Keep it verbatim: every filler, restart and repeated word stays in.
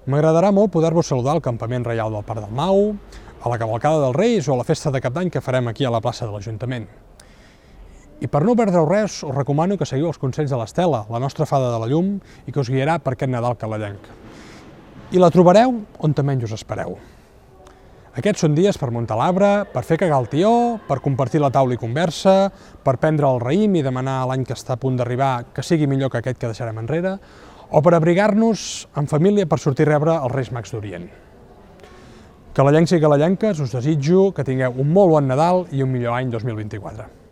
M'agradarà molt poder-vos saludar al Campament Reial del Parc del Mau, a la Cavalcada dels Reis o a la Festa de Cap d'Any que farem aquí a la plaça de l'Ajuntament. I per no perdreu res, us recomano que seguiu els consells de l'Estela, la nostra fada de la llum, i que us guiarà per aquest Nadal calalenc. I la trobareu on menys us espereu. Aquests són dies per muntar l'arbre, per fer cagar el tió, per compartir la taula i conversa, per prendre el raïm i demanar a l'any que està a punt d'arribar que sigui millor que aquest que deixarem enrere, o per abrigar-nos en família per sortir a rebre els Reis Mags d'Orient. Calalencs i calalenques, us desitjo que tingueu un molt bon Nadal i un millor any dos mil vint-i-quatre.